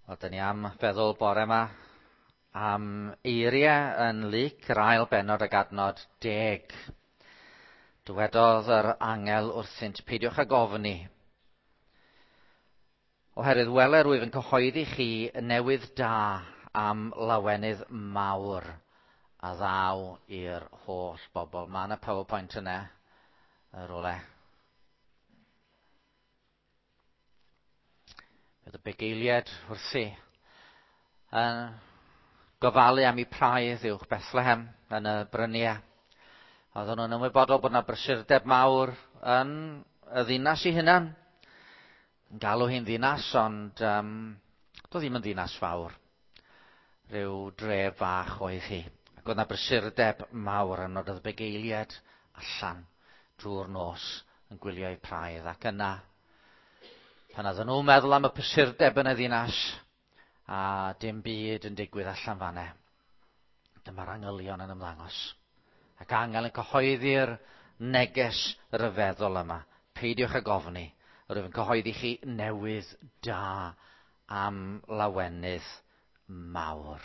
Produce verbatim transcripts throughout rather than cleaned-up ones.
Wel, dyn ni am feddwl bore yma am eiriau yn Luc, yr ail bennod ag adnod deg. Dywedodd yr angel wrthynt, peidiwch ag ofni. Oherwydd wele rwyf yn cyhoeddi chi y newydd da am lawenydd mawr a ddaw i'r holl bobl. Mae yna PowerPoint yna, yr ole. Bydd y bugeiliaid wrthi yn gofalu am eu praidd uwch Bethlehem yn y bryniau. Oedden nhw'n ymwybodol bod yna brysurdeb mawr yn y ddinas ei hunan. Yn galw hi'n ddinas, ond um, doedd ddim yn ddinas fawr. Rhyw dref fach oedd hi. Ac oedd yna brysurdeb mawr yn oedd y bugeiliaid allan drwy'r nos yn gwylio eu praidd. Ac yna, pan oedden nhw'n meddwl am y prysurdeb yn y ddinas, a dim byd yn digwydd allan fan'na, dyma'r angylion yn ymddangos. Ac angel yn cyhoeddi'r neges ryfeddol yma. Peidiwch ag ofni, rwyf yn cyhoeddi chi newydd da am lawenydd mawr.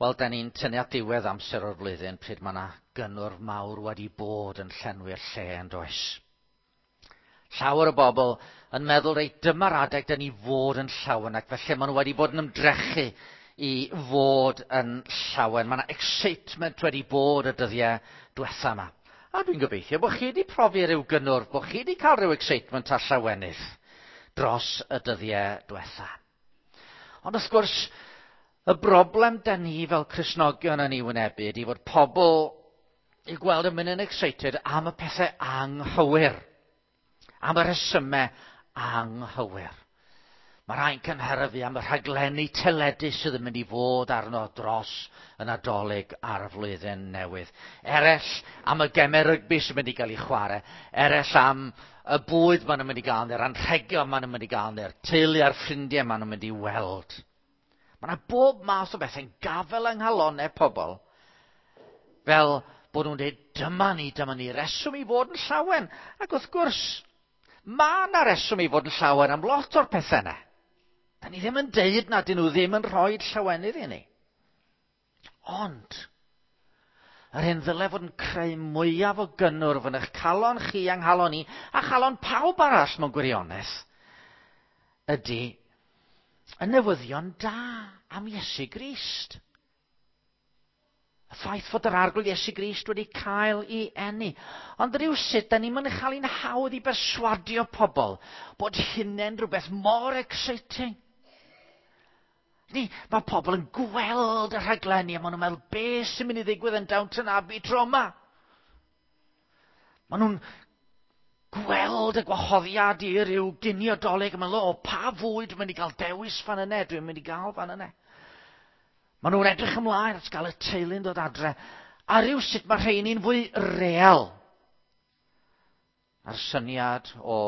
Wel, da ni'n tynnu at diwedd amser o'r flwyddyn pryd mae yna gynnwrf mawr wedi bod yn llenwi'r lle yn does. Llawer o bobl yn meddwl, reit, dyma'r adeg da ni fod yn llawen, ac felly maen nhw wedi bod yn ymdrechu i fod yn llawen. Mae yna excitement wedi bod y dyddiau diwetha yma. A dwi'n gobeithio bod chi wedi profi rhyw gynnwrf, bod chi wedi cael rhyw excitement a llawenydd dros y dyddiau diwetha. Ond wrth gwrs, y broblem da ni fel Cristnogion yn ei wynebu ydy fod pobl i gweld yn mynd yn excited am y pethau anghywir, am y rhesymau anghywir. Mae rhai'n cynhyrfu am y rhaglenni teledu sydd yn mynd i fod arno dros y Nadolig a'r flwyddyn newydd. Eraill am y gemau rygbi sy'n mynd i gael ei chwarae. Eraill am y bwyd maen nhw'n mynd i gael, neu'r anrhegion maen nhw'n mynd i gael, neu'r teulu a'r ffrindiau maen nhw'n mynd i weld. Mae yna bob math o bethau'n gafel yng nghalonnau pobl, fel bod nhw'n dweud, dyma ni, dyma ni, reswm i fod yn llawen. Ac wrth gwrs, mae yna reswm i fod yn llawen am lot o'r pethau yna. Da ni ddim yn deud na dyn nhw ddim yn rhoi llawenydd i ni. Ond, yr hyn ddyle fod yn creu mwyaf o gynnwrf yn eich calon chi a'n nghalon i, a chalon pawb arall mewn gwirionedd, ydy y newyddion da am Iesu Grist. Y ffaith fod yr Arglwydd Iesu Grist wedi cael ei eni. Ond rhywsut, da ni'n mynd i chael ein hawdd i berswadio pobl bod hynny'n rhywbeth mor exciting. Ni, mae pobl yn gweld y rhaglenni a maen nhw'n meddwl, beth sy'n mynd i ddigwydd yn Downton Abbey tro yma? Maen nhw'n gweld y gwahoddiad i ryw ginio Dolig a maen nhw'n meddwl, o, pa fwyd dwi'n mynd i gael dewis fan yna, dwi'n mynd i gael fan yna. Maen nhw'n edrych ymlaen at gael y teulu'n dod adre. A rhywsut mae rheini'n fwy real. A'r syniad o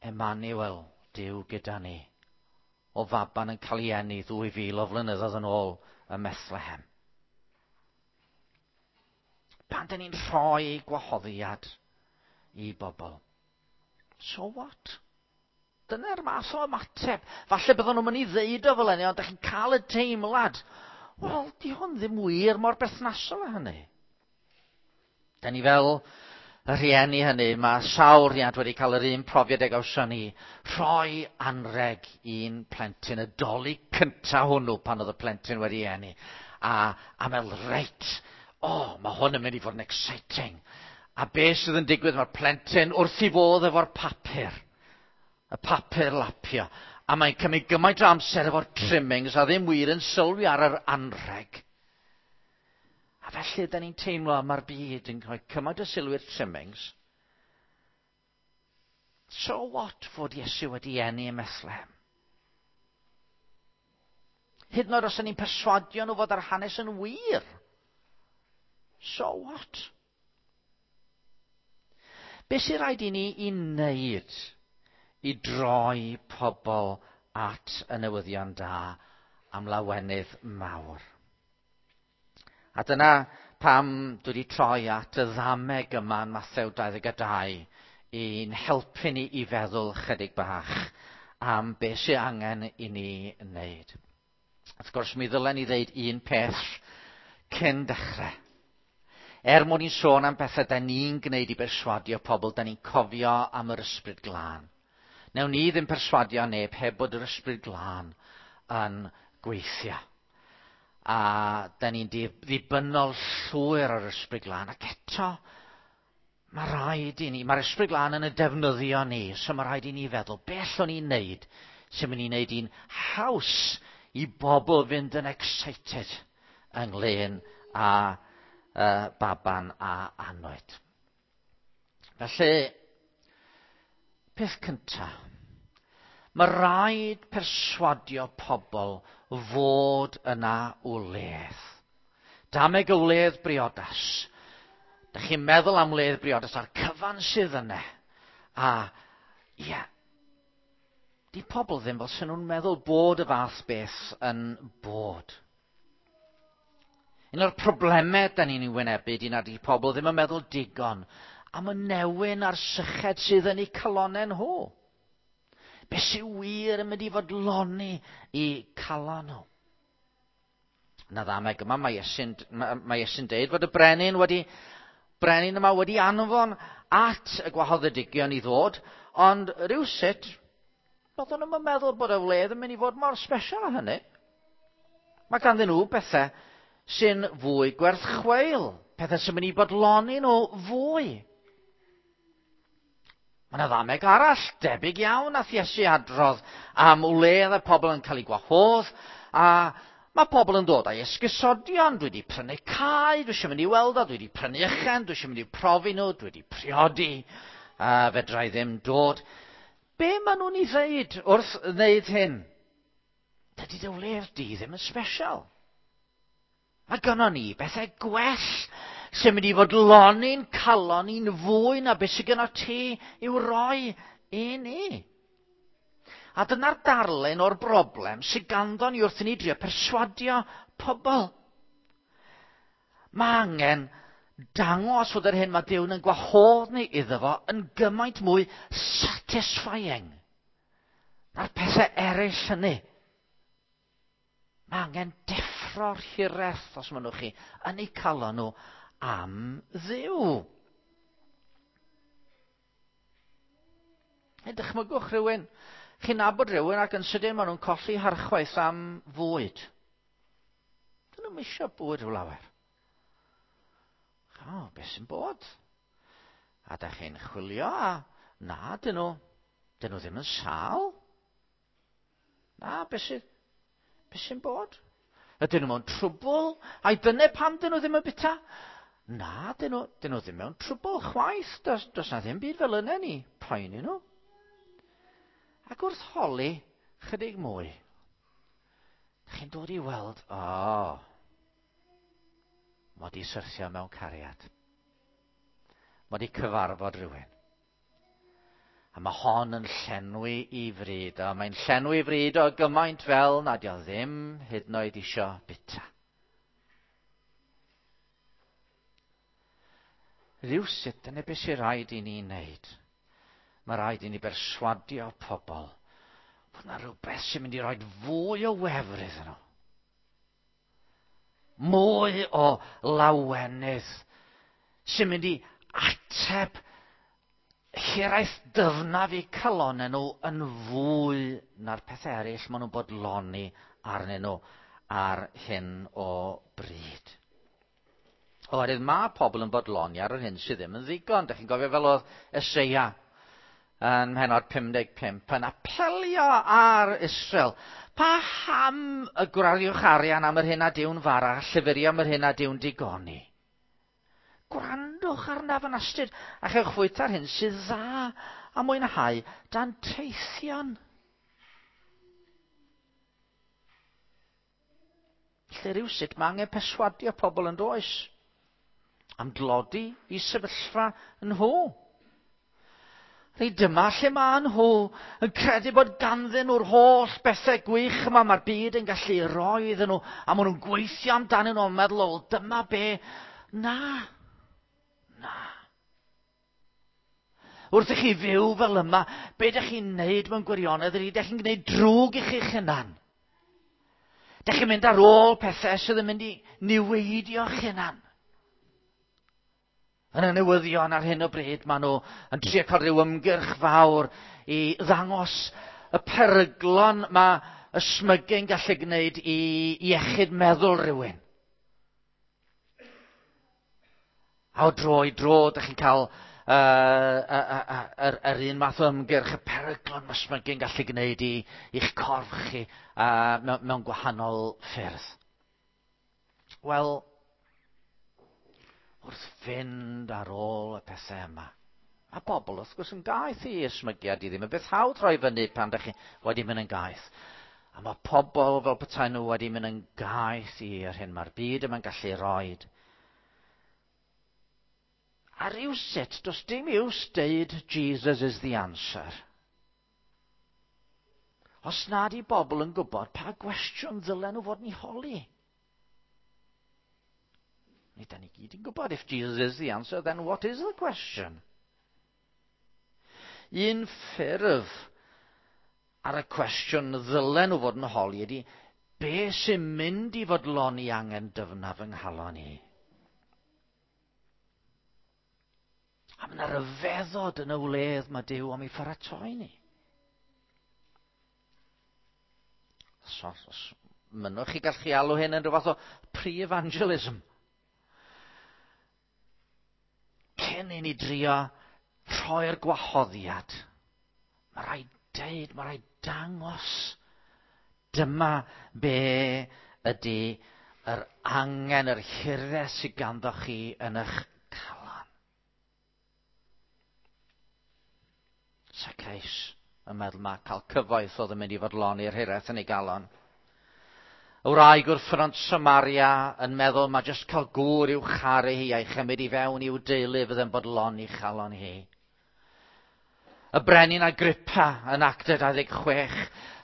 Emmanuel, Duw gyda ni, o faban yn cael ei eni ddwy fil o flynyddoedd yn ôl ym Methlehem. Pan dyn ni'n rhoi gwahoddiad i bobl, so what? Dyna'r math o ymateb. Falle byddwn nhw'n mynd i ddeud o fel hynny, ond ydych chi'n cael y teimlad. Wel, di hwn ddim wir mor berthnasol â hynny. Da ni fel y rhieni hynny, mae sawl rhiant wedi cael yr un profiad ag gawson ni. Rhoi anreg i'n plentyn, y Dolig cynta hwnnw pan oedd y plentyn wedi eni. A, a meddwl, reit, o, oh, mae hwn yn mynd i fod yn exciting. A beth sydd yn digwydd, mae'r plentyn wrth ei fodd efo'r papur. Y papur lapio. A mae'n cymryd gymaint o amser efo'r trimmings a ddim wir yn sylwi ar yr anrheg. A felly, da ni'n teimlo mae'r byd yn rhoi cymaint o sylw i'r trimmings. So what fod Iesu wedi eni ym Methlehem? Hyd yn oed os ydyn ni'n perswadio nhw fod yr hanes yn wir. So what? Be sy'n rhaid i ni i wneud i droi pobl at y newyddion da am lawenydd mawr? A dyna pam dwi wedi troi at y ddameg yma yn Mathew dau ddeg dau i'n helpu ni i feddwl chydig bach am beth sy'n angen i ni wneud. Wrth gwrs, mi ddylen ni ddeud un peth cyn dechrau. Er mwyn ni'n sôn am bethau da ni'n gwneud i berswadio pobl, da ni'n cofio am yr Ysbryd Glân. Newn ni ddim perswadio neb heb bod yr Ysbryd Glân yn gweithio. A da ni'n ddibynnol llwyr ar yr Ysbryd Glân. Ac eto, mae rhaid i ni, mae'r Ysbryd Glân yn y defnyddio ni, so mae rhaid i ni feddwl, beth allwn ni'n neud sy'n mynd i wneud hi'n haws i bobl fynd yn excited ynglyn â uh, baban a anwyd. Felly, peth cyntaf, mae rhaid perswadio pobl fod yna wledd. Dameg y wledd briodas. Dych chi'n meddwl am wledd briodas a'r cyfan sydd yna. A, ie, yeah, di pobl ddim fel sy'n nhw'n meddwl bod y fath beth yn bod. Un o'r problemau da ni'n ei wynebu di nad ydi pobl ddim yn meddwl digon am y newyn a'r syched sydd yn eu calonnau nhw. Be sy'n wir yn mynd i fodloni i calon nhw. Na ddameg yma, mae Iesu'n, mae Iesu'n deud fod y brenin wedi, brenin yma wedi anfon at y gwahoddedigion i ddod, ond rhywsut, roedden nhw'n meddwl bod y wledd yn mynd i fod mor special â hynny. Mae ganddyn nhw bethau sy'n fwy gwerth chweil, pethau sy'n mynd i bodloni nhw fwy. Mae yna ddameg arall, debyg iawn nath Iesu adrodd am wledd y pobl yn cael eu gwahodd, a mae pobl yn dod â'i esgusodion, dwi wedi prynu cae, dwi eisiau mynd i weld o, dwi wedi prynu ychen, dwi eisiau mynd i'w profi nhw, dwi wedi priodi, a fedra i ddim dod. Be maen nhw'n ei ddeud wrth wneud hyn? Dydy dy wledd di ddim yn special. Mae gynnon ni bethau gwell sy'n mynd i fodloni'n calon ni'n fwy na beth sydd gynno ti i'w roi i ni. A dyna'r darlun o'r broblem sydd ganddo ni wrth i ni drio perswadio pobl. Mae angen dangos fod yr hyn mae Duw yn gwahodd ni iddo fo yn gymaint mwy satisfying na'r pethau eraill hynny. Mae angen deffro'r hiraeth, os mynnwch chi, yn eu calon nhw am Dduw. Hei, dychmygwch rhywun. Chi'n nabod rhywun ac yn sydyn maen nhw'n colli harchwaith am fwyd. Dyn nhw'm eisiau bwyd rhyw lawer. O, beth sy'n bod? A da chi'n chwilio a na, dyn nhw, dyn nhw ddim yn sâl. Na, beth sy'n, beth sy'n bod? Ydyn nhw mewn trwbl? Ai dyna pam dyn nhw ddim yn bita? Na, dyn nhw, dyn nhw ddim mewn trwbl chwaith. Does, does na ddim byd fel yna ni poeni nhw. Ac wrth holi chydig mwy, chi'n dod i weld, o, oh, mod i syrthio mewn cariad. Mod i cyfarfod rhywun. A mae hon yn llenwi i fryd, a mae'n llenwi i fryd o gymaint fel nad o ddim hyd yn oed isio bita. Rhywsut, dyna beth sy'n rhaid i ni wneud. Mae rhaid i ni berswadio pobl fod yna rhywbeth sy'n mynd i roi fwy o wefr iddyn nhw. Mwy o lawenydd sy'n mynd i ateb hiraeth dyfnaf eu calonnau nhw yn fwy na'r pethau eraill maen nhw'n bodloni arnyn nhw ar hyn o bryd. Oherwydd mae pobl yn bodloni ar yr hyn sydd ddim yn ddigon. Dych chi'n gofio fel oedd Eseia yn mhennod pum deg pump yn apelio ar Israel. Paham y gwrariwch arian am yr hyn a diwn fara, llyfurio am yr hyn a diwn digoni? Gwrandwch arnaf yn astud a chewch fwyta'r hyn sydd dda a mwynhau danteithion. Lle rhywsut mae angen perswadio pobl yn does am dlodi i sefyllfa nhw. Rei dyma lle mae nhw yn credu bod ganddyn nhw'r holl bethau gwych yma mae'r byd yn gallu roi iddyn nhw, a maen nhw'n gweithio amdanyn nhw yn meddwl, o, dyma be. Na, na. Wrth i chi fyw fel yma, be ydych chi'n neud mewn gwirionedd ydy, ydych chi'n gwneud drwg i chi'ch hunan. Ydych chi'n mynd ar ôl pethau sydd yn mynd i niweidio'ch hunan. Yn y newyddion ar hyn o bryd, maen nhw yn trio cael rhyw ymgyrch fawr i ddangos y peryglon mae ysmygu'n gallu gwneud i iechyd meddwl rhywun. A o dro i dro, ydych chi'n cael uh, uh, uh, yr, yr un math o ymgyrch, y peryglon mae ysmygu'n gallu gwneud i, i'ch corff chi uh, mewn, mewn gwahanol ffyrdd. Wel, wrth fynd ar ôl y pethau yma, a bobl wrth gwrs yn gaeth i ysmygiad i ddim yn beth hawdd rhoi fyny pan ydych chi wedi mynd yn gaeth. A mae pobl fel petai nhw wedi mynd yn gaeth i'r hyn mae'r byd yma'n gallu roed. A rhywsut, does dim iws deud Jesus is the answer. Os nad i bobl yn gwybod pa gwestiwn ddylen nhw fod yn ei holi. Ni da ni gyd yn gwybod, if Jesus is the answer, then what is the question? Un ffurf ar y cwestiwn ddylen nhw fod yn holi ydy, be sy'n mynd i fodloni angen dyfnaf yng nghalon i? A mae yna ryfeddod yn y wledd mae Duw am ei pharatoi ni. So, os mynnwch chi gallu alw hyn yn rhywbeth o pre-evangelism. Cyn i ni drio rhoi'r gwahoddiad, mae rhaid deud, mae rhaid dangos. Dyma be ydy yr angen, yr hiraeth sydd ganddo chi yn eich calon. Zacchaeus yn meddwl mae cael cyfoeth oedd yn mynd i fodloni'r hiraeth yn ei galon. Y wraig wrth ffynnon Samaria yn meddwl mae jyst cael gŵr i'w charu hi a'i chymryd i fewn i'w deulu fydd yn bodloni chalon hi. Y brenin Agrippa yn Actau dau ddeg chwech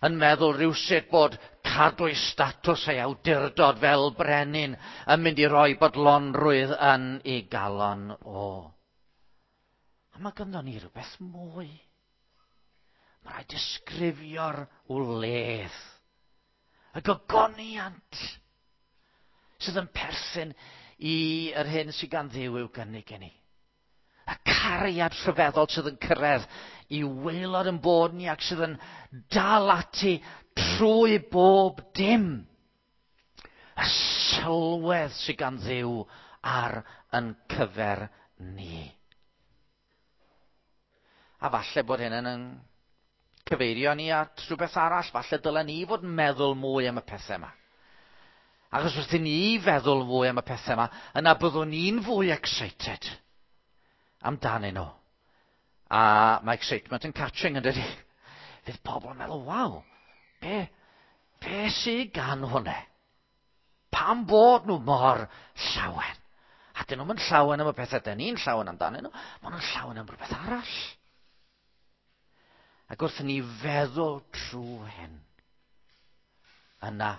yn meddwl rhywsut bod cadw ei statws ei awdurdod fel brenin yn mynd i roi bodlonrwydd yn ei galon o. A mae ganddo ni rhywbeth mwy. Mae rhaid disgrifio'r wledd, y gogoniant sydd yn perthyn i yr hyn sydd gan Dduw i'w gynnig i ni. Y cariad rhyfeddol sydd yn cyrraedd i waelod yn bod ni ac sydd yn dal ati trwy bob dim. Y sylwedd sydd gan Dduw ar yn cyfer ni. A falle bod hyn yn cyfeirio ni at rhywbeth arall, falle dylen ni fod yn meddwl mwy am y pethau yma. Achos wrth i ni feddwl fwy am y pethau yma, yna byddwn ni'n fwy excited amdanyn nhw. A mae excitement yn catching, yn dydi? Fydd pobl yn meddwl, waw, be, be sydd gan hwnna? Pam bod nhw mor llawen? A dyn nhw'n llawen am y pethau dyn ni'n llawen amdanyn nhw, maen nhw'n llawen am rhywbeth arall. Ac wrth i ni feddwl trwy hyn, yna,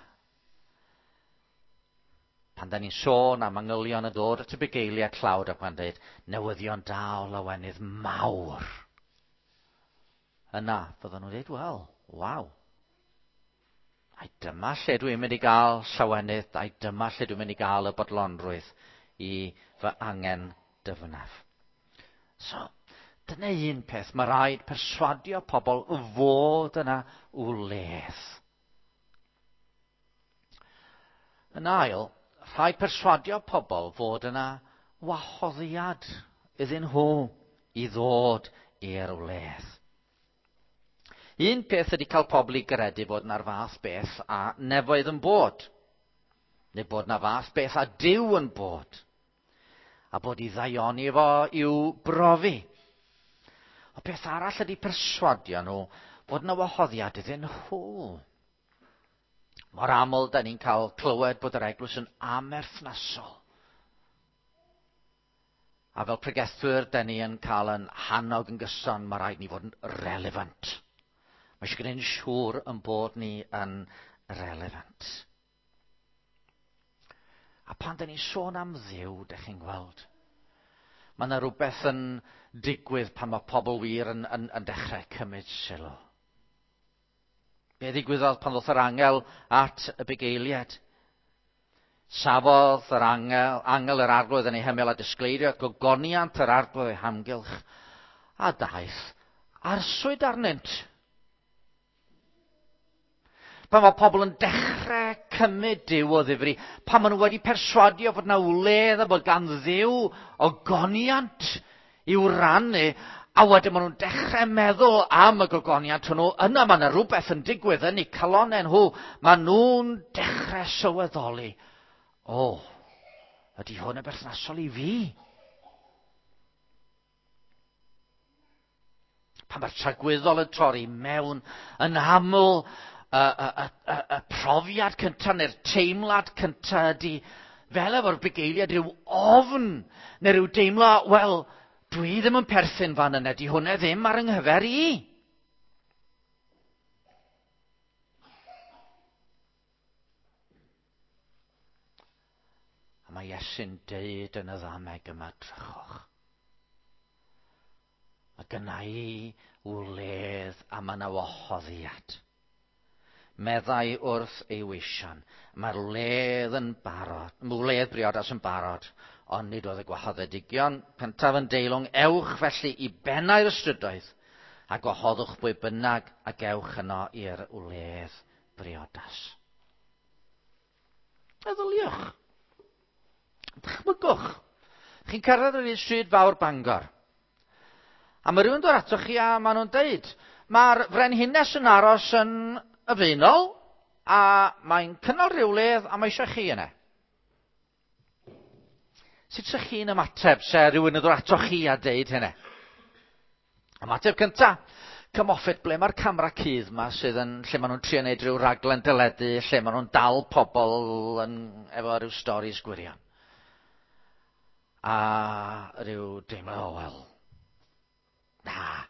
pan da ni'n sôn am angylion yn dod at y bugeiliaid tlawd ac mae'n dweud, newyddion da o lawenydd mawr. Yna, fydden nhw'n dweud, wel, waw. Ai dyma lle dwi'n mynd i gael llawenydd, ai dyma lle dwi'n mynd i gael y bodlonrwydd i fy angen dyfnaf. So, dyna un peth, mae rhaid perswadio pobl fod yna wledd. Yn ail, rhaid perswadio pobl fod yna wahoddiad iddyn nhw i ddod i'r wledd. Un peth ydy cael pobl i gredu bod yna'r fath beth a nefoedd yn bod, neu bod yna fath beth a Duw yn bod, a bod i ddaioni fo i'w brofi. O peth arall ydy perswadio nhw bod yna wahoddiad iddyn nhw. Mor aml da ni'n cael clywed bod yr eglwys yn amerthnasol. A fel pregethwyr, da ni yn cael yn hannog yn gyson, mae rhaid ni fod yn relevant. Mae eisiau gwneud yn siŵr yn bod ni yn relevant. A pan da ni'n sôn am Dduw, da chi'n gweld, Mae yna rhywbeth yn digwydd pan mae pobl wir yn, yn, yn dechrau cymryd sylw. Be ddigwyddodd pan ddoth yr angel at y bugeiliaid? Safodd yr angel, angel yr arglwydd yn ei hymyl a disgleiriodd gogoniant yr arglwydd ei hamgylch, a daeth arswyd arnynt. Pan mae pobl yn dechrau cymryd Duw o ddifri, pan maen nhw wedi perswadio fod na wledd a bod gan Dduw ogoniant i'w rannu, a wedyn maen nhw'n dechrau meddwl am y gogoniant hwnnw, yna mae yna rhywbeth yn digwydd yn eu calonnau nhw. Maen nhw'n dechrau sylweddoli, o, ydy hwn yn berthnasol i fi? Pan mae'r tragwyddol yn torri mewn yn aml, y, y, y, y, y profiad cyntaf neu'r teimlad cyntaf ydy, fel efo'r bugeiliaid, rhyw ofn neu rhyw deimlo, wel, dwi ddim yn perthyn fan yna, di hwnna ddim ar yng nghyfer i. A mae Iesu'n deud yn y ddameg yma, drychwch. Mae gynna i wledd a mae yna wahoddiad. Meddai wrth ei weision, mae'r wledd yn barod, wledd briodas yn barod, ond nid oedd y gwahoddedigion cyntaf yn deilwng, ewch felly i bennau'r ystrydoedd a gwahoddwch bwy bynnag ac ewch yno i'r wledd briodas. Meddyliwch. Dychmygwch. Chi'n cyrraedd yr un stryd fawr Bangor. A mae rhywun dod atoch chi a maen nhw'n deud, mae'r frenhines yn aros yn y Faenol, a mae'n cynnal rhyw wledd a mae eisiau chi yna. Sut ydych chi'n ymateb se rhywun yn dod atoch chi a deud hynny? Ymateb cynta, come off it, ble mae'r camera cudd yma sydd yn, lle maen nhw'n trio neud rhyw raglen deledu, lle maen nhw'n dal pobl yn, efo rhyw storis gwirion. A rhyw deimlo, oh, wel, na,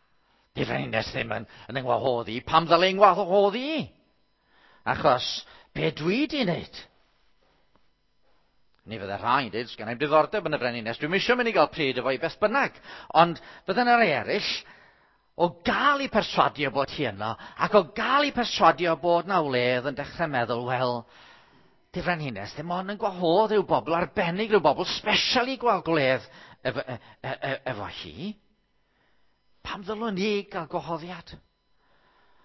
di frenhines ddim yn, yn yngwahodd i, pam ddyle yngwahodd i? Achos, be dwi di wneud? Ni fydde rhai'n dweud, sgen i'm diddordeb yn y frenhines, dwi'm eisiau mynd i gael pryd efo i beth bynnag. Ond fydde yna rai eraill, o gael eu perswadio bod hi yno, ac o gael eu perswadio bod na wledd yn dechrau meddwl, wel, di frenhines ddim ond yn gwahodd rhyw bobl arbennig, rhyw bobl special i gweld gwledd efo, e, e, e, efo hi. Pam ddylwn ni gael gwahoddiad?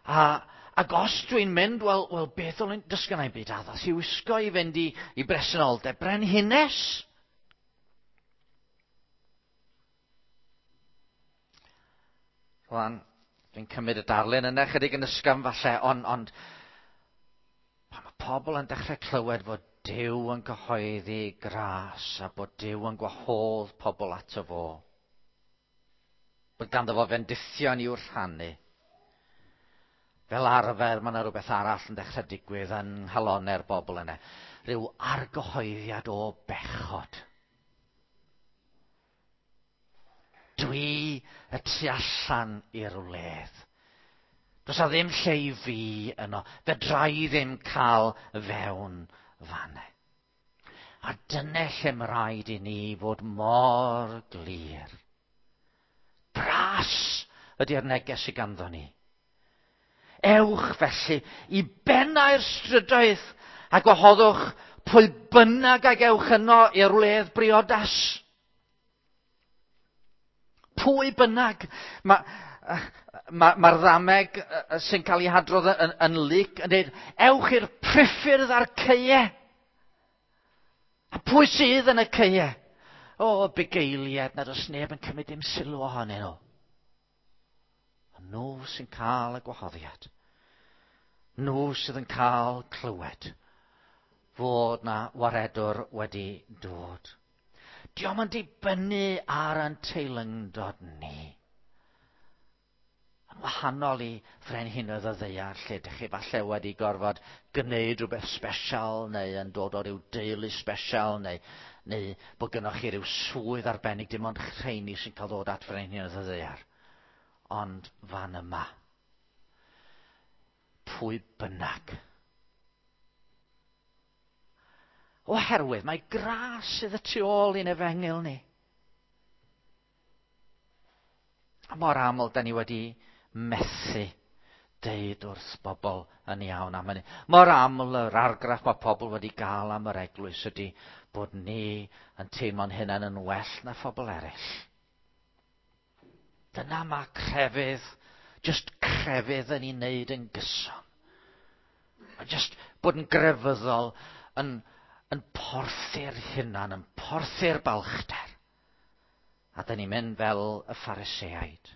A, ac os dwi'n mynd, wel, wel beth ddylwn, does gynna i'm byd addas i wisgo i fynd i, i bresenoldeb brenhines. Rwan, dwi'n cymryd y darlun yna chydig yn ysgafn falle, ond, ond pan mae pobl yn dechrau clywed fod Duw yn cyhoeddi gras a bod Duw yn gwahodd pobl ato fo, bod ganddo fo fendithion i'w rhannu. Fel arfer, mae yna rhywbeth arall yn dechrau digwydd yn nghalonnau'r bobl yna. Rhyw argyhoeddiad o bechod. Dwi y tu allan i'r wledd. Does 'na ddim lle i fi yno. Fedra i ddim cael fewn fanne. A dyna lle mae rhaid i ni fod mor glir. Gras ydy'r neges sydd ganddo ni. Ewch felly i bennau'r strydoedd a gwahoddwch pwy bynnag ag ewch yno i'r wledd briodas. Pwy bynnag. Mae'r ma, ma ddameg sy'n cael ei hadrodd yn, yn Luc yn dweud, ewch i'r priffyrdd a'r caeau. A pwy sydd yn y caeau? O, bugeiliaid, nad oes neb yn cymryd dim sylw ohonyn nhw. A nhw sy'n cael y gwahoddiad. Nhw sydd yn cael clywed fod na waredwr wedi dod. Dio'm yn dibynnu ar ein teilyngdod ni. Yn wahanol i frenhinoedd y ddaear, lle dych chi falle wedi gorfod gwneud rhywbeth special, neu yn dod o ryw deulu special, neu, neu bod gynnoch chi ryw swydd arbennig, dim ond rheini sy'n cael ddod at frenhinoedd y ddaear. Ond fan yma, pwy bynnag. Oherwydd mae gras sydd y tu ôl i'n efengyl ni. A mor aml da ni wedi methu deud wrth bobl yn iawn am hynny. Mor aml yr argraff mae pobl wedi gael am yr eglwys ydy bod ni yn teimlo'n hunain yn well na phobl eraill. Dyna mae crefydd, just crefydd yn ei wneud yn gyson. Mae just bod yn grefyddol yn, yn porthu'r hunan, yn porthu'r balchder. A da ni'n mynd fel y Phariseaid.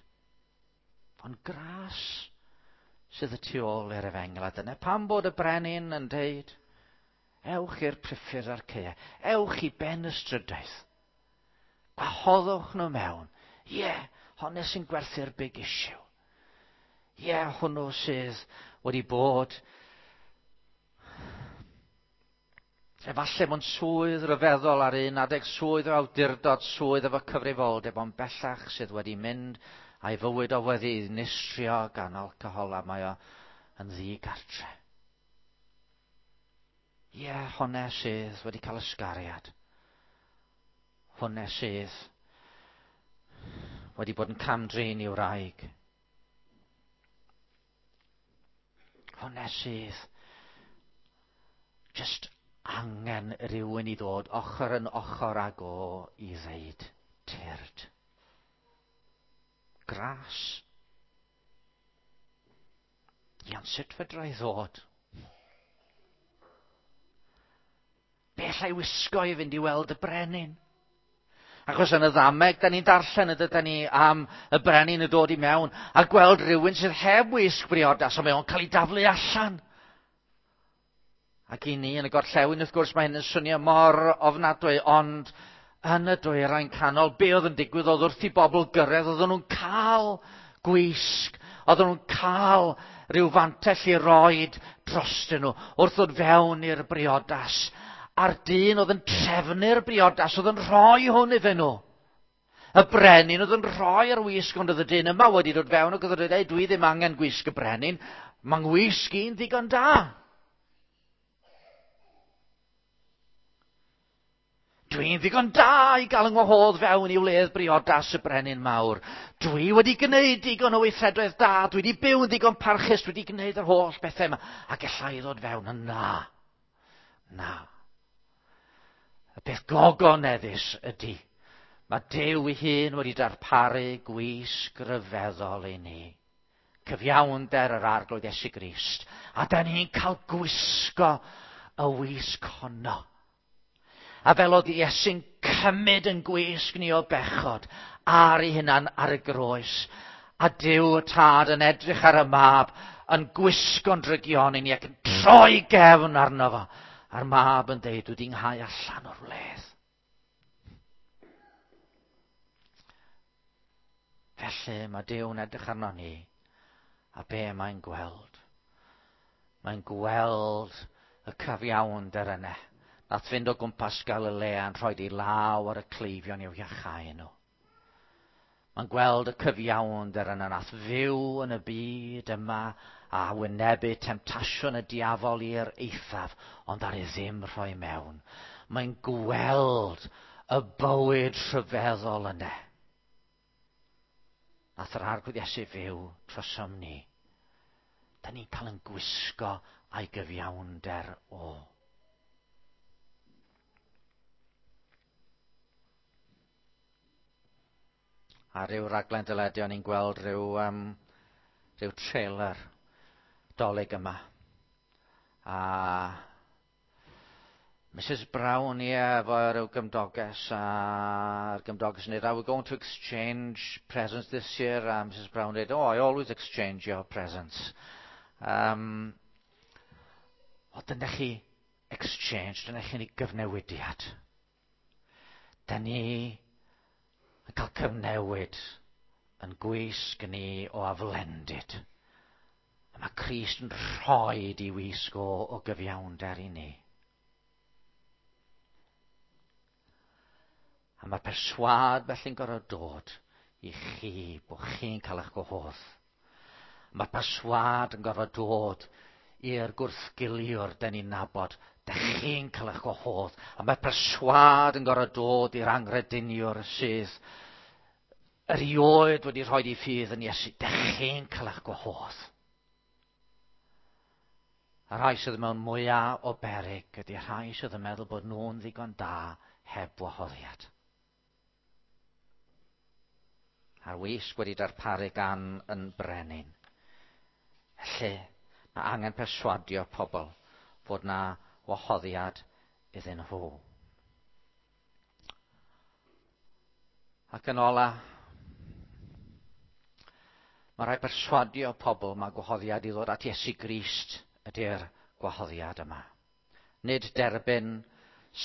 Ond gras sydd y tu ôl i'r efengyl. A dyna pam bod y brenin yn deud, ewch i'r priffyrdd a'r caeau, ewch i ben y strydoedd. Gwahoddwch nhw mewn. Ie, yeah, honno sy'n gwerthu'r big issue. Ie, yeah, hwnnw sydd wedi bod efallai mewn swydd ryfeddol ar un adeg, swydd o awdurdod, swydd efo cyfrifoldeb, ond bellach sydd wedi mynd a'i fywyd o wedi ddinistrio gan alcohol a mae o yn ddigartre. Ie, yeah, hwnna sydd wedi cael ysgariad. Hwnna sydd wedi bod yn cam-drin i'w wraig. Hwnna sydd just angen rhywun i ddod ochr yn ochr ag o i ddeud tyrd. Gras. Iawn, sut fedra i ddod? Be alla i wisgo i fynd i weld y brenin? Achos yn y ddameg, da ni'n darllen y dydyn ni am y brenin yn dod i mewn a gweld rhywun sydd heb wisg briodas, a mae o'n cael ei daflu allan. Ac i ni yn y gorllewin, wrth gwrs, mae hyn yn swnio mor ofnadwy, ond yn y dwyrain canol, be oedd yn digwydd oedd wrth i bobl gyrraedd, oedden nhw'n cael gwisg, oedden nhw'n cael rhyw fantell i roed drostyn nhw, wrth ddod fewn i'r briodas. A'r dyn oedd yn trefnu'r briodas, oedd yn rhoi hwn iddyn nhw. Y brenin oedd yn rhoi'r wisg, ond oedd y dyn yma wedi dod fewn ac oedd yn dweud, dwi ddim angen gwisg y brenin, mae'n wisg i'n ddigon da. Dwi'n ddigon da i gael yng ngwahodd fewn i wledd briodas y brenin mawr. Dwi wedi gwneud digon o weithredoedd da, dwi wedi byw yn ddigon parchus, dwi wedi gwneud yr holl bethau yma, a gallai ddod fewn yn na. Na. Y peth gogoneddus ydy, mae Duw ei hun wedi darparu gwisg ryfeddol i ni. Cyfiawnder yr Arglwydd Iesu Grist. A da ni'n cael gwisgo y wisg honno. A fel oedd Iesu'n cymryd yn gwisg ni o bechod ar ei hunan ar y groes. A Duw y Tad yn edrych ar y mab yn gwisgo'n drygioni ni ac yn troi gefn arno fo. A'r mab yn deud, dwi 'di nghau allan o'r wledd. Felly mae Duw'n edrych arno ni a be mae'n gweld? Mae'n gweld y cyfiawnder yna. Nath fynd o gwmpas Galilea yn rhoi ei law ar y cleifion i'w iachau nhw. Mae'n gweld y cyfiawnder yna nath fyw yn y byd yma a wynebu temtasiwn y diafol i'r eithaf, ond ar ei ddim rhoi mewn. Mae'n gweld y bywyd rhyfeddol yna. Nath yr Arglwydd Iesu fyw trosom ni. Da ni'n cael yn gwisgo a'i gyfiawnder o. A rhyw raglen deledu o'n i'n gweld rhyw, um, rhyw trailer Dolig yma. A Missus Brown, ie, yeah, efo rhyw gymdoges, a'r gymdoges yn dweud, are we going to exchange presents this year? A Missus Brown dweud, oh, I always exchange your presents. Um, o, dyna chi exchange, dyna chi'n ei gyfnewidiad. Da ni yn cael cyfnewid yn gwisg ni o aflendid. A mae Crist yn rhoi i wisg o, o gyfiawnder i ni. A mae perswâd felly'n gorfod dod i chi, bod chi'n cael eich gwahodd. Mae perswâd yn gorfod dod i'r gwrthgiliwr den ni'n nabod, da chi'n cael eich gwahodd. A mae perswâd yn gorfod dod i'r angrediniwr sydd erioed wedi rhoi ei ffydd yn Iesu, dych chi'n cael eich gwahodd. A rhai sydd mewn mwyaf o beryg ydy rhai sydd yn meddwl bod nhw'n ddigon da heb wahoddiad. A'r wisg wedi darparu gan yn brenin. Felly, mae angen perswadio pobl fod na wahoddiad iddyn nhw. Ac yn ola, mae rhaid perswadio pobl mae gwahoddiad i ddod at Iesu Grist ydy'r gwahoddiad yma. Nid derbyn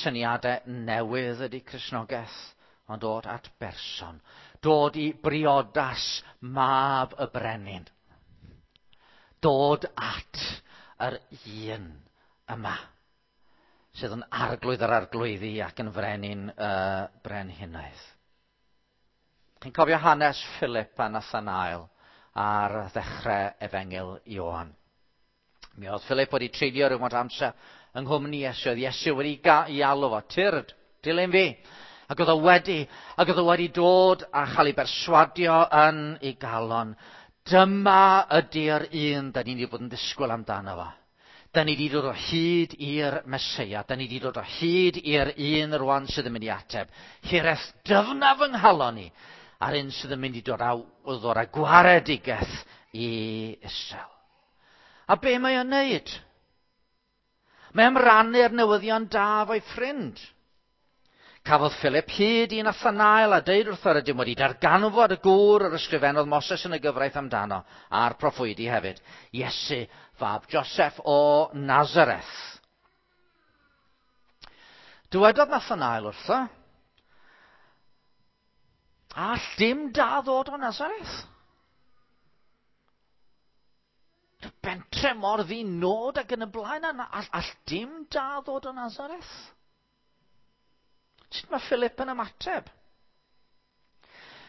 syniadau newydd ydy Cristnogaeth, ond dod at berson. Dod i briodas mab y brenin. Dod at yr un yma, sydd yn arglwydd yr arglwyddi ac yn frenin y brenhinoedd. Chi'n cofio hanes Philip a Nathanael ar ddechrau Efengyl Ioan. Mi oedd Philip wedi treulio rhywfaint amser yng nghwmni Iesu. Oedd Iesu wedi i alw fo, tyrd, dilyn fi. Ac oedd o wedi, ac oedd o wedi dod a chael ei berswadio yn ei galon. Dyma ydy'r un da ni wedi bod yn disgwyl amdano fo. Da ni wedi dod o hyd i'r Meseia. Da ni wedi dod o hyd i'r un rwan sydd yn mynd i ateb. Hiraeth dyfnaf yng nghalon ni. A'r un sydd yn mynd i dod â, ddod â gwaredigaeth i Israel. A be mae o'n neud? Mae am rannu'r newyddion da efo'i ffrind. Cafodd Philip hyd i Nathanael a deud wrtho rydym wedi darganfod y gŵr yr ysgrifennodd Moses yn y gyfraith amdano, a'r proffwydi hefyd, Iesu, fab Joseph o Nazareth. Dywedodd Nathanael wrtho, all dim da ddod o Nazareth? Bentre mor ddinod ac yn y blaen, all, all dim da ddod o Nazareth? Sut mae Philip yn ymateb?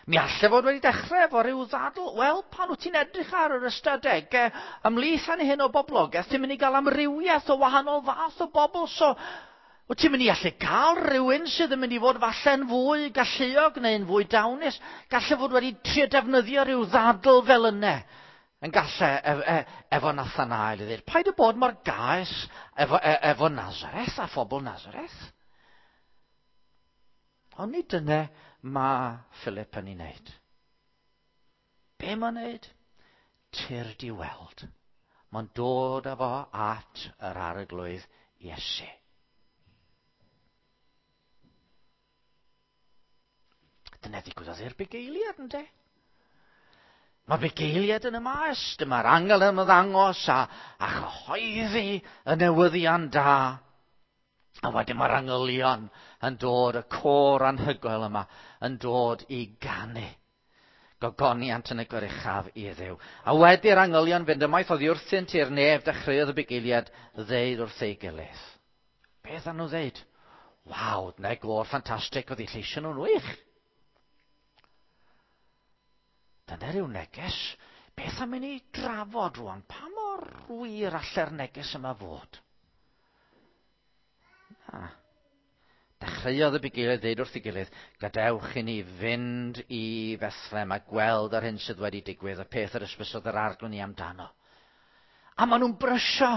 Mi allai fod wedi dechrau efo rhyw ddadl. Wel, pan wyt ti'n edrych ar yr ystadegau ymhlith an hyn o boblogaeth, ti'n mynd i gael amrywiaeth o wahanol fath o bobl. So, wyt ti'n mynd i allu cael rhywun sydd yn mynd i fod falle'n fwy galluog neu'n fwy dawnus. Gallai fod wedi trio defnyddio rhyw ddadl fel yna. Yn gallai e, e, efo Nathanael i ddweud, paid y bod mor gaes efo, e, efo Nazareth a phobl Nazareth. Ond nid dyna mae Philip yn ei wneud. Be mae'n wneud? Tyrd i weld. Mae'n dod â fo at yr arglwydd Iesu. Dyna ddigwyddodd i'r bugeiliad, ynde? Mae'r bugeiliad yn y maes. Dyma'r angel yn ymddangos a, a chyhoeddi y newyddion da. A wedyn mae'r angylion yn dod, y côr anhygoel yma, yn dod i ganu. Gogoniant yn y goruchaf i Dduw. A wedi'r angylion fynd ymaith oddi wrthynt i'r nef, dechreuodd y bugeiliad ddeud wrth ei gilydd. Beth â nhw ddeud? Waw, dyna gôr ffantastig, oedd eu lleisio nhw'n wych. Dyna rhyw neges. Beth am i ni drafod rwan? Pa mor wir allai'r neges yma fod? Na. Dechreuodd y bugeiliaid ddeud wrth ei gilydd, gadewch i ni fynd i Bethlehem a gweld yr hyn sydd wedi digwydd, y peth yr ysbysodd yr arglwydd ni amdano. A maen nhw'n brysio.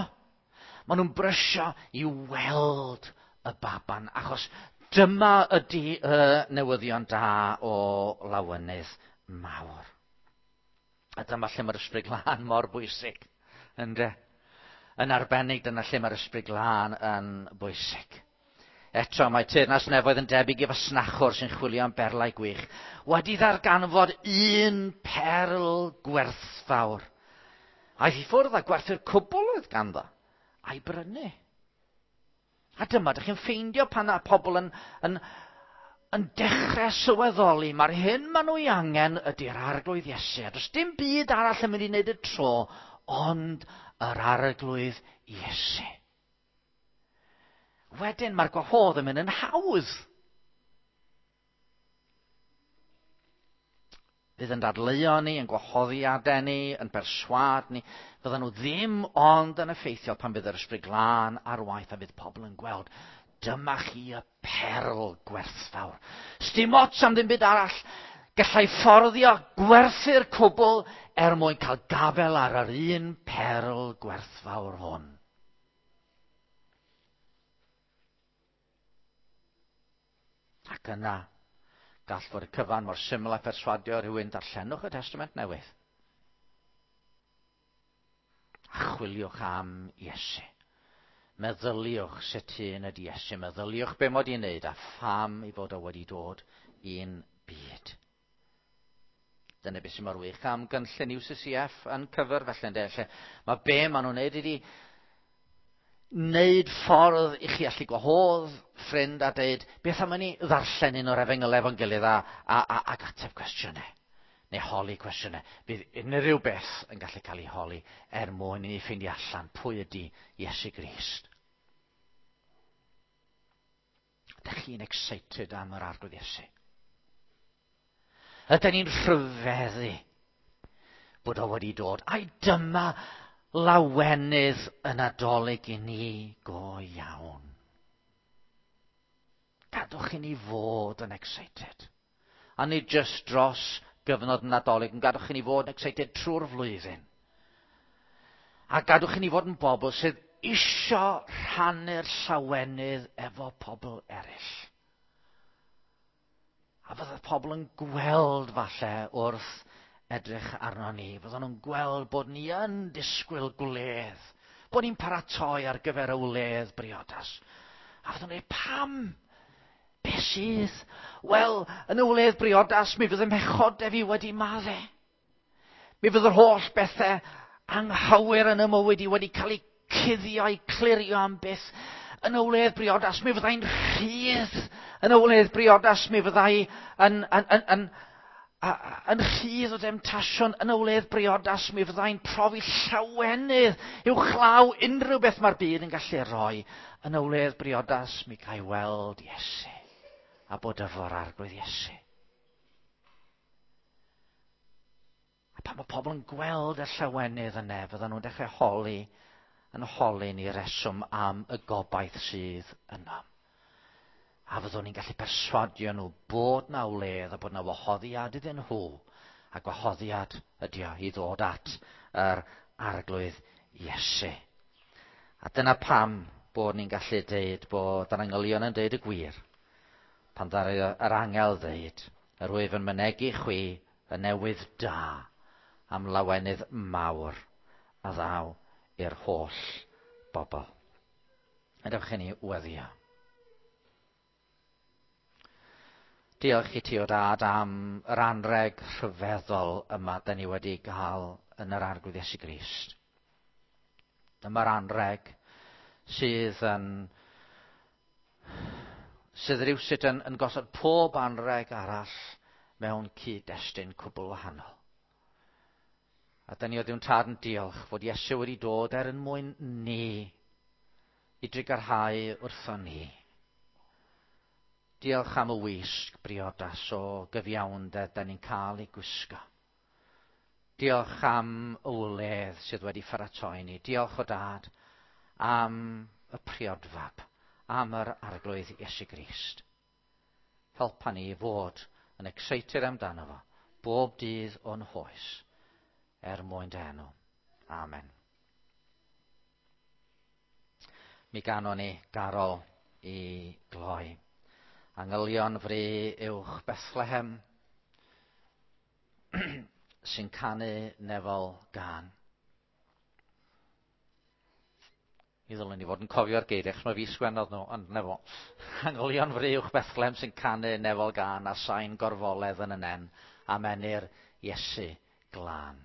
Maen nhw'n brysio i weld y baban, achos dyma ydy y newyddion da o lawenydd mawr. A dyma lle mae'r Ysbryd Glân mor bwysig, ynde? Yn arbennig, dyna lle mae'r Ysbryd Glân yn bwysig. Eto, mae teyrnas nefoedd yn debyg i fasnachwr sy'n chwilio am berlau gwych. Wedi ddarganfod un perl gwerthfawr. Aeth i ffwrdd a gwerthu'r cwbl oedd ganddo, a'i brynu. A dyma, dych chi'n ffeindio pan a pobl yn, yn, yn dechrau sylweddoli, mae'r hyn maen nhw ei angen ydy'r arglwydd Iesu. A does dim byd arall yn mynd i wneud y tro, ond yr arglwydd Iesu. Wedyn mae'r gwahodd yn mynd yn hawdd. Fydd yn dadleuo ni, yn gwahoddiadau ni, yn perswad ni. Fyddan nhw ddim ond yn effeithiol pan fydd yr Ysbryd Glân ar waith a fydd pobl yn gweld. Dyma chi y perl gwerthfawr. Sdim ots am ddim byd arall. Gallai fforddio gwerthu'r cwbl er mwyn cael gafel ar yr un perl gwerthfawr hwn. Ac yna, gall fod y cyfan mor syml a pherswadio rhywun, darllenwch y Testament Newydd. A chwiliwch am Iesu. Meddyliwch sut un ydy Iesu. Meddyliwch be mod i'n wneud a pham ei fod o wedi dod i'n byd. Dyna beth sy'n mor wych am gynllun U C C F yn cyfer felly, ynde? Lle mae be maen nhw'n wneud ydy wneud ffordd i chi allu gwahodd ffrind a deud, beth am i ni ddarllen un o'r efengylau efo'n gilydd a, a, a, ac ateb cwestiynau, neu holi cwestiynau. Bydd unrhyw beth yn gallu cael ei holi er mwyn i ni ffeindio allan pwy ydy Iesu Grist. Ydych chi'n excited am yr Arglwydd Iesu? Ydyn ni'n rhyfeddu bod o wedi dod? Ai dyma lawenydd y Nadolig i ni go iawn. Gadwch i ni fod yn excited. A nid just dros gyfnod Nadolig, ond gadwch i ni fod yn excited trwy'r flwyddyn. A gadwch i ni fod yn bobl sydd isio rhannu'r llawenydd efo pobl eraill. A fydde pobl yn gweld falle wrth edrych arno ni. Fydden nhw'n gweld bod ni yn disgwyl gwledd, bod ni'n paratoi ar gyfer y wledd briodas. A fydden nhw'n dweud, pam? Be sydd? Wel, yn y wledd briodas, mi fydd y mhechodau fi wedi madde. Mi fydd yr holl bethau anghywir yn y mywyd i wedi cael eu cuddio, eu clirio am byth. Yn y wledd briodas, mi fyddai'n rhydd. Yn y wledd briodas, mi fyddai yn, yn, yn, yn, yn rhydd o demtasiwn. Yn y wledd briodas, mi fyddai'n profi llawenydd uwchlaw unrhyw beth mae'r byd yn gallu rhoi. Yn y wledd briodas, mi ga i weld Iesu a bod efo'r Arglwydd Iesu. A pan mae pobl yn gweld y llawenydd yna, fyddan nhw'n dechrau holi, yn holi ni reswm am y gobaith sydd yno. A fyddwn ni'n gallu perswadio nhw bod na wledd a bod na wahoddiad iddyn nhw. A gwahoddiad ydy o i ddod at yr Arglwydd Iesu. A dyna pam bod ni'n gallu deud bod yr angylion yn deud y gwir. Pan ddaru yr angel ddeud, yr wyf yn mynegi chwi y newydd da am lawenydd mawr a ddaw i'r holl bobl. Gadewch i ni weddio. Diolch i ti o Dad am yr anreg rhyfeddol yma da ni wedi gael yn yr Arglwydd Iesu Grist. Dyma'r anreg sydd yn sydd rywsut yn, yn gosod pob anreg arall mewn cyd-destun cwbl wahanol. A da ni o Dduw'n Tad yn diolch fod Iesu wedi dod er yn mwyn ni i drugarhau wrthon ni. Diolch am y wisg briodas o gyfiawnder da ni'n cael ei gwisgo. Diolch am y wledd sydd wedi pharatoi ni. Diolch o Dad am y priodfab, am yr Arglwydd Iesu Grist. Helpa ni i fod yn excited amdano fo bob dydd o'n hoes, er mwyn dy enw. Amen. Mi ganon ni garol i gloi. Angylion fri uwch Bethlehem sy'n canu nefol gân. Mi ddylwn ni fod yn cofio'r geiriau, achos mae fi sgwennodd nhw, ond nefo. Angylion fri uwch Bethlehem sy'n canu nefol gân a sain gorfoledd yn y nen, a menir Iesu glân.